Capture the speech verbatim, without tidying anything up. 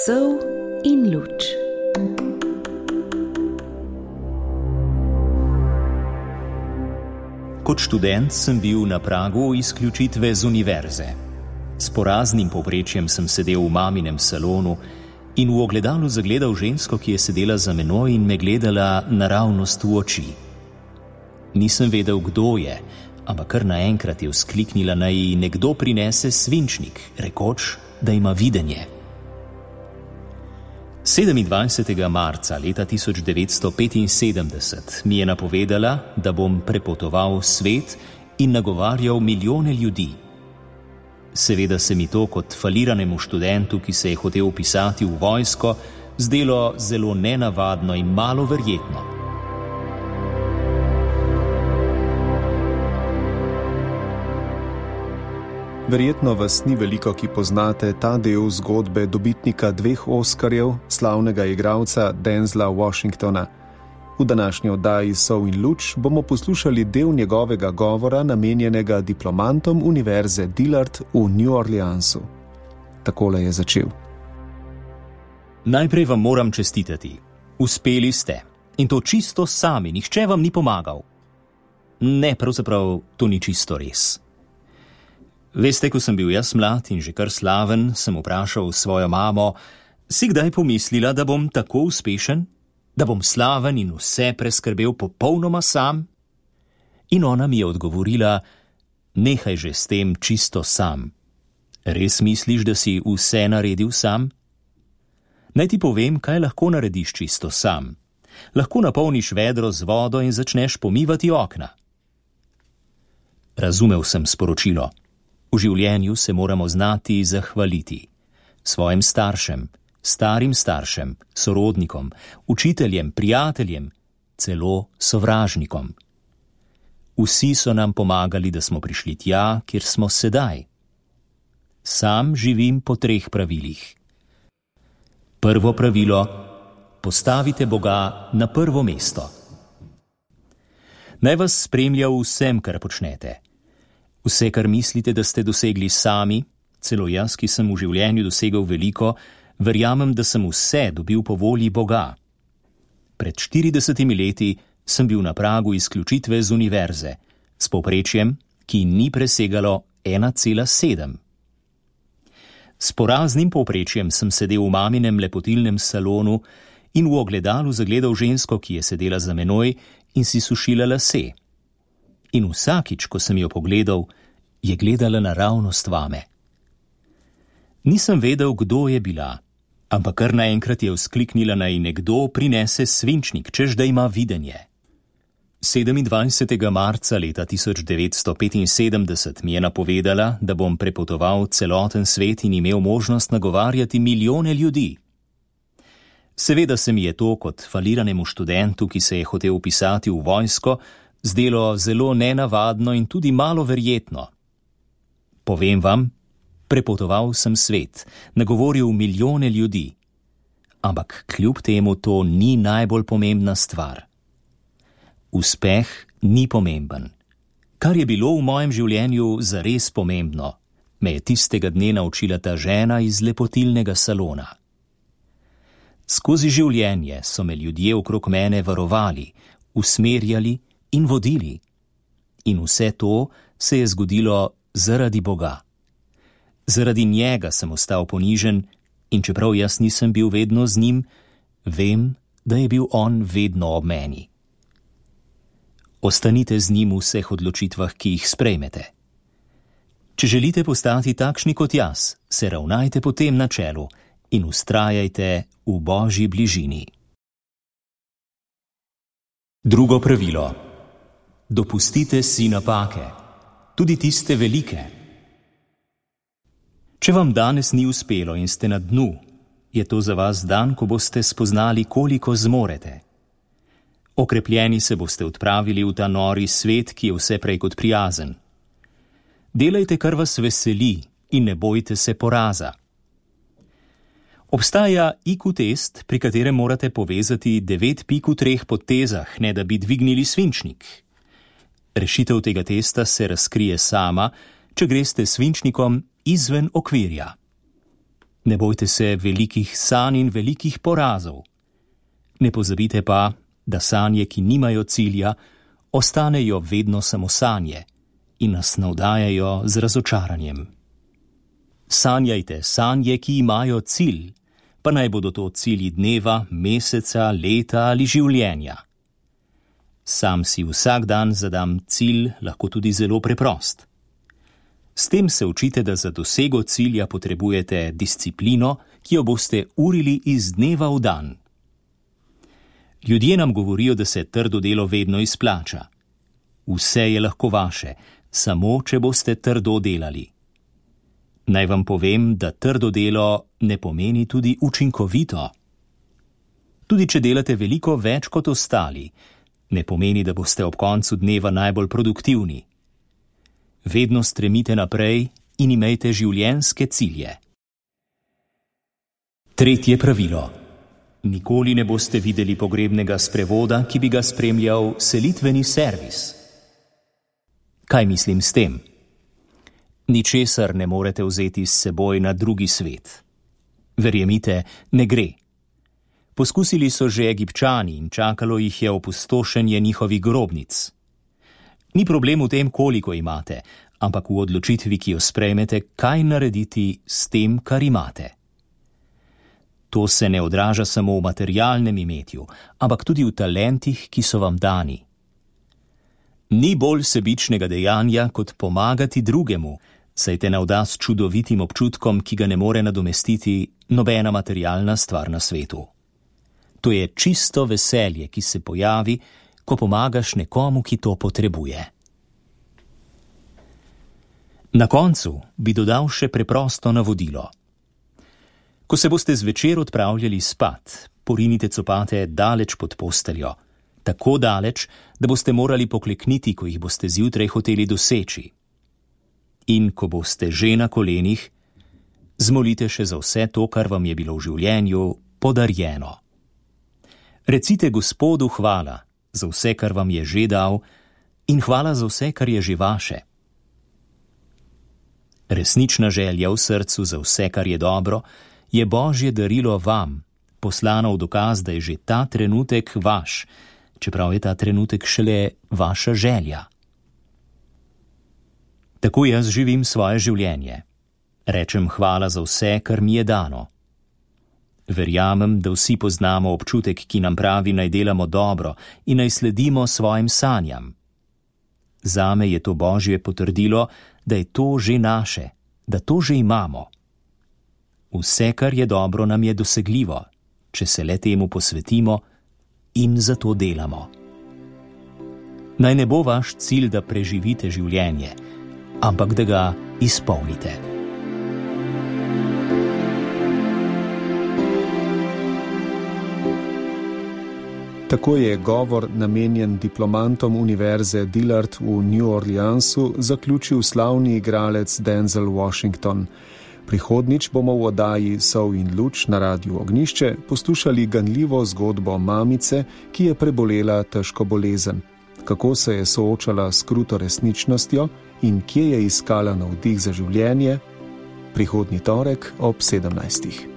Sol in luč. Kot študent sem bil na pragu izključitve z univerze. S poraznim povprečjem sem sedel v maminem salonu in v ogledalu zagledal žensko, ki je sedela za menoj in me gledala naravnost v oči. Nisem vedel, kdo je, ampak kar naenkrat je vzkliknila, naj ji nekdo prinese svinčnik, rekoč, da ima videnje. sedemindvajsetega marca leta tisoč devetsto petinsedemdeset mi je napovedala, da bom prepotoval svet in nagovarjal milijone ljudi. Seveda se mi to kot faliranemu študentu, ki se je hotel vpisati v vojsko, zdelo zelo nenavadno in malo verjetno. Verjetno vas ni veliko, ki poznate ta del zgodbe dobitnika dveh Oskarjev, slavnega igralca Denzela Washingtona. V današnji oddaji Sol in luč bomo poslušali del njegovega govora, namenjenega diplomantom Univerze Dillard v New Orleansu. Takole je začel. Najprej vam moram čestitati. Uspeli ste. In to čisto sami, nihče vam ni pomagal. Ne, pravzaprav to ni čisto res. Veste, ko sem bil jaz mlad in že kar slaven, sem vprašal svojo mamo, si kdaj pomislila, da bom tako uspešen? Da bom slaven in vse preskrbel popolnoma sam? In ona mi je odgovorila, nehaj že s tem čisto sam. Res misliš, da si vse naredil sam? Naj ti povem, kaj lahko narediš čisto sam. Lahko napolniš vedro z vodo in začneš pomivati okna. Razumel sem sporočilo. V življenju se moramo znati zahvaliti svojim staršem, starim staršem, sorodnikom, učiteljem, prijateljem, celo sovražnikom. Vsi so nam pomagali, da smo prišli tja, kjer smo sedaj. Sam živim po treh pravilih. Prvo pravilo: postavite Boga na prvo mesto. Naj vas spremlja v vsem, kar počnete. Vse, kar mislite, da ste dosegli sami, celo jaz, ki sem v življenju dosegel veliko, verjamem, da sem vse dobil po volji Boga. Pred štiridesetimi leti sem bil na pragu izključitve z univerze, s povprečjem, ki ni presegalo ena cela sedem. S poraznim povprečjem sem sedel v maminem lepotilnem salonu in v ogledalu zagledal žensko, ki je sedela za menoj in si sušila lase. In vsakič, ko sem jo pogledal, je gledala naravnost vame. Nisem vedel, kdo je bila, ampak kar naenkrat je vzkliknila, naj nekdo prinese svinčnik, češ da ima videnje. sedemindvajsetega marca leta tisoč devetsto petinsedemdeset mi je napovedala, da bom prepotoval celoten svet in imel možnost nagovarjati milijone ljudi. Seveda se mi je to kot faliranemu študentu, ki se je hotel vpisati v vojsko, zdelo zelo nenavadno in tudi malo verjetno. Povem vam, prepotoval sem svet, nagovoril milijone ljudi. Ampak kljub temu to ni najbolj pomembna stvar. Uspeh ni pomemben. Kar je bilo v mojem življenju zares pomembno, me je tistega dne naučila ta žena iz lepotilnega salona. Skozi življenje so me ljudje okrog mene varovali, usmerjali in vodili. In vse to se je zgodilo zaradi Boga. Zaradi njega sem ostal ponižen in čeprav jaz nisem bil vedno z njim, vem, da je bil on vedno ob meni. Ostanite z njim v vseh odločitvah, ki jih sprejmete. Če želite postati takšni kot jaz, se ravnajte po tem načelu in vztrajajte v Božji bližini. Drugo pravilo. Dopustite si napake, tudi tiste velike. Če vam danes ni uspelo in ste na dnu, je to za vas dan, ko boste spoznali, koliko zmorete. Okrepljeni se boste odpravili v ta nori svet, ki je vse prej kot prijazen. Delajte, kar vas veseli in ne bojte se poraza. Obstaja I Q test, pri katerem morate povezati devet pik v treh potezah, ne da bi dvignili svinčnik. Rešitev tega testa se razkrije sama, če greste s svinčnikom izven okvirja. Ne bojte se velikih sanj in velikih porazov. Ne pozabite pa, da sanje, ki nimajo cilja, ostanejo vedno samo sanje in nas navdajajo z razočaranjem. Sanjajte sanje, ki imajo cilj, pa naj bodo to cilji dneva, meseca, leta ali življenja. Sam si vsak dan zadam cilj, lahko tudi zelo preprost. S tem se učite, da za dosego cilja potrebujete disciplino, ki jo boste urili iz dneva v dan. Ljudje nam govorijo, da se trdo delo vedno izplača. Vse je lahko vaše, samo če boste trdo delali. Naj vam povem, da trdo delo ne pomeni tudi učinkovito. Tudi če delate veliko več kot ostali, ne pomeni, da boste ob koncu dneva najbolj produktivni. Vedno stremite naprej in imejte življenjske cilje. Tretje pravilo. Nikoli ne boste videli pogrebnega sprevoda, ki bi ga spremljal selitveni servis. Kaj mislim s tem? Ničesar ne morete vzeti s seboj na drugi svet. Verjemite, ne gre. Poskusili so že Egipčani in čakalo jih je opustošenje njihovih grobnic. Ni problem v tem, koliko imate, ampak v odločitvi, ki jo sprejmete, kaj narediti s tem, kar imate. To se ne odraža samo v materialnem imetju, ampak tudi v talentih, ki so vam dani. Ni bolj sebičnega dejanja, kot pomagati drugemu, saj te navda s čudovitim občutkom, ki ga ne more nadomestiti nobena materialna stvar na svetu. To je čisto veselje, ki se pojavi, ko pomagaš nekomu, ki to potrebuje. Na koncu bi dodal še preprosto navodilo. Ko se boste zvečer odpravljali spat, porinite copate daleč pod posteljo, tako daleč, da boste morali poklekniti, ko jih boste zjutraj hoteli doseči. In ko boste že na kolenih, zmolite še za vse to, kar vam je bilo v življenju podarjeno. Recite Gospodu hvala za vse, kar vam je že dal, in hvala za vse, kar je že vaše. Resnična želja v srcu za vse, kar je dobro, je Božje darilo vam, poslano v dokaz, da je že ta trenutek vaš, čeprav je ta trenutek šele vaša želja. Tako jaz živim svoje življenje. Rečem hvala za vse, kar mi je dano. Verjamem, da vsi poznamo občutek, ki nam pravi, naj delamo dobro in naj sledimo svojim sanjam. Zame je to Božje potrdilo, da je to že naše, da to že imamo. Vse, kar je dobro, nam je dosegljivo, če se le temu posvetimo in za to delamo. Naj ne bo vaš cilj, da preživite življenje, ampak da ga izpolnite. Tako je govor, namenjen diplomantom univerze Dillard v New Orleansu, zaključil slavni igralec Denzel Washington. Prihodnič bomo v oddaji Sol in luč na Radiu Ognjišče poslušali ganljivo zgodbo mamice, ki je prebolela težko bolezen. Kako se je soočala s kruto resničnostjo in kje je iskala navdih za življenje? Prihodnji torek ob sedemnajstih.